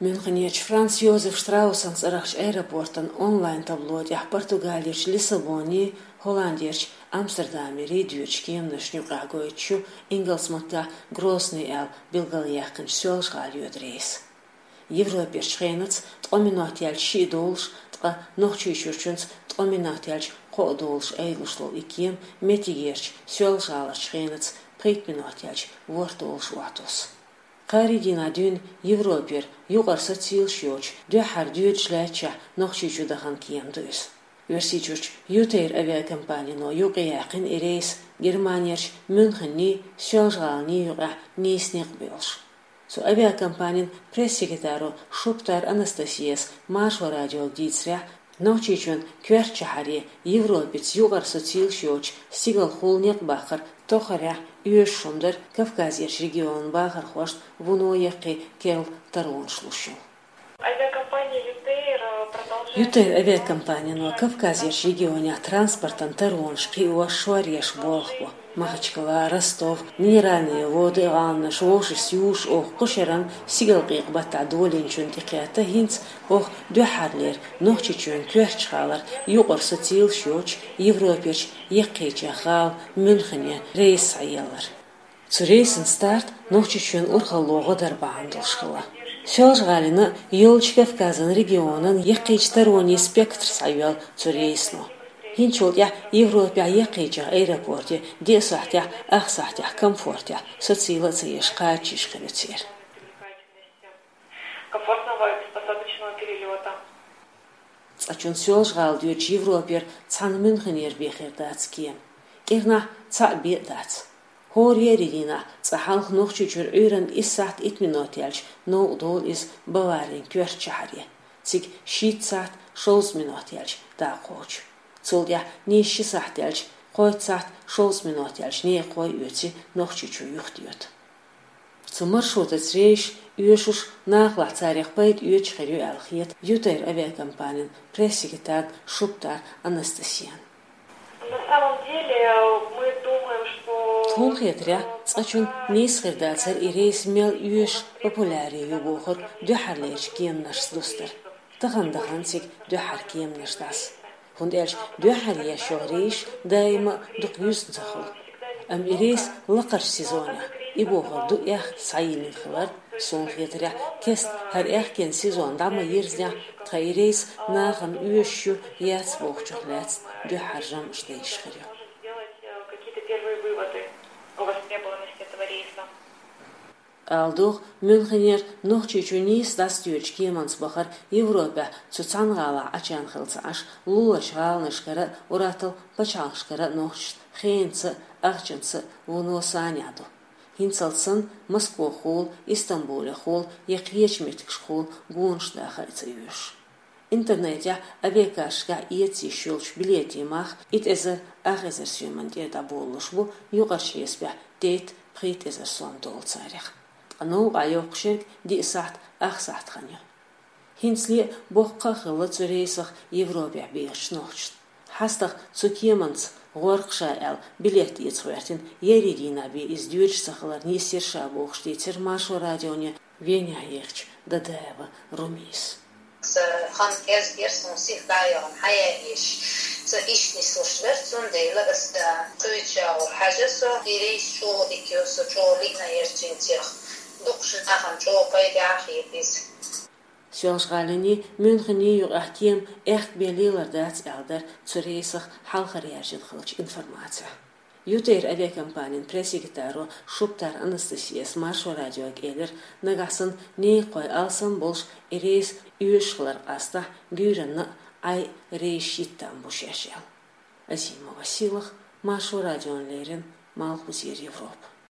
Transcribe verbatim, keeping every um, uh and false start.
Мюнхенерчу Франц Йозеф Штраусан цӀарахчу аэропортан онлайн-табло тӀехь Португалерчу Лиссабонерчу, Холландерчу Амстердамерчу доьдучу кеманашна юкъахь гойтуш ю ингалс маттахь Грозный аьлла билгалъяьккхинчу Соьлжа-ГӀала йоьду рейс. Европерчу хенаца ткъа минот яьлча шиъ долуш, ткъа Нохчийчуьрчуьнца ткъа минот яьлча кхоъ долуш айдалуш долу и кема меттигерчу Соьлжа-ГӀаларчу хенаца пхийтта минот яьлча ворхӀ долуш охьатосу. Кхаарин дийнахь дуьйна Европера юкъара социлаш йоцуш дуьххьара доьдуш лаьттачохь Нохчийчу дахана кема ду иза. Оьрсийчуьрчу Ютейр авиакомпанино юкъаяьккхина и рейс Германерчу Мюнхенний, Соьлжа-ГӀаланний юкъахь нийса некъ боьлуш. Цу авиакомпанин пресс-секретаро Шуптар Анастасияс Маршо радиога дийцарехь, Нохчийчоьнан коьртачу шахьаре Европаца юкъара социлаш йоцуш стигалхула некъ баккхар тоххарехь оьшуш хӀума дара Кавказерчу регионан бахархошна вуно яккхий керла таронаш луш йолу. Авиакомпания Ютейр продолжает... Ютейр авиакомпанино Кавказерчу регионехь транспортан таронаш кхиош шоръеш болх бо. Махачкала, Ростов, Минеральные Воды гӀаланаш вовшашца юьсуш оха кху шеран стигалкъекъа баттахь долийначунна тӀекхетта, хӀинца оха дуьххьарлера Нохчийчоьнан коьртачу гӀалара юкъара социлаш йоцуш Европерчу яккхийчех гӀала Мюнхене рейс схьаеллар. Цу рейсан старт Нохчийчоьнан урхалло гӀо дар бахьана долуш хилла. Соьлжа-ГӀалина йолчу Кавказан регионан яккхийчу таронийн спектр схьайоьллу цу рейсано. ХӀинцачул тӀаьхьа Европехь яккхийчех аэропорте диъ сахьтехь, ах сахьтехь комфортехь социйла а ца еш кхача йиш хир ю церан. Комфортного посадочного перелёта. Цкъачунна Соьлжа-ГӀала доьдучу Европера цхьана Мюнхенера бен хир дац кема. КӀирнахь цхьаъ бен а дац. ХӀора еарин дийнахь цкъа хьалха Нохчийчуьра Ӏуьйранна исс сахьт итт минот яьлча новкъа долу иза Баварин коьртачу шахьаре, цига шийтта сахьт шовзткъа минот яьлча дакъа кхочу. Цул тӀаьхьа нийсса ши сахьт яьлча, кхойтта сахьт шовзткъа минот яьлча некъахой а оьций Нохчийчу юхатоьтту. Цу маршрутаца рейсаш оьшуш, нахалахь царех пайда оьцуш хир ю аьлла хета Ютейр авиакомпанин пресс-секретарна Шуптар Анастасияна. На самом деле, мы думаем, что... Тхуна хетарехь, цкъачунна нийса хир дацара и рейс мел оьшуш, популярнее ю бохург дуьххьарлерчу кеманашца дустар. Тахана дахана цига дуьххьара кеманаш дӀаса. ХӀунда аьлча дуьххьара еш йолу рейсаш даима а дукха юьзна ца хуьлу. Амма и рейс лакхарчу сезонехь, и бохург ду аьхка схьайиллина хилар, суна хетарехь, кеста хӀара аьхкен сезон дӀа ма йирзинехь, тхан и рейс нахана оьшуш ю, яц бохучух лаьцна дуьххьара жамӀаш дайш хир ю. Какие-то первые выводы о востребованности этого рейса. Ала догӀу, Мюнхенера Нохчийчу нийса дӀасадоьдучу кеманца бахар Европехь цу цхьана гӀалахь Ӏачарна хилла ца Ӏаш, луларчу гӀаланашкара а, уьттазза пачхьалкхашкара а нохчашна хенаца а, ахчанца а вуно санехь ду. ХӀинцалц санна Москвахула, Истамбулехула я кхечу меттигашкахула гонаш даха а ца оьшу. Интернетехь авиакассашкахь эца йиш йолчу билетийн мах итт эзар ах эзар соьман тӀера дӀаболалуш бу, юкъарчу хьесапехь дейтта пхийтта эзар сом долу царех. Ткъа новкъахь йоккхуш ерг диъ сахьт, ах сахьт хан ю. ХӀинцале а боккха а хилла цу рейсах Европехь бехачу нохчашна. ХьастагӀа цу кеманца гӀор-кх ша аьлла билет эца гӀоьртина, еарин дийнахь бен иза доьдуш ца хилар нийса яра ша бохуш дийцира Маршо радионе Венехь ехачу Дадаева Румис. Сан хан кӀезиг яра, суна сиха дӀа а яхана, хьан яа еш. Сан иштта нислуш дара, цундела ас да кхуьйчу агӀор хьажа со, и рейс чӀогӀа дика йо, со чӀогӀа лиъна яра цуьнцех. Дукхачу нахана чӀогӀа пайда а хета иза. Соьлжа-ГӀалинний, Мюнхенний юкъахь кема аьхка бен лелар дац аьлла дара цу рейсах хьалхара яьржина хиллачу информацехь. Ютейр авиакомпанин пресс-секретаро Шуптар Анастасияс Маршо радиога элира, нагахь санна некъахой алсам болуш и рейс оьшуш хилар къастахь, гуьйранна а Ӏай рейсаш йиттан бу шаьш аьлла. Азимова Сийлаха, Маршо радиона леррина, Малхбузера Европа.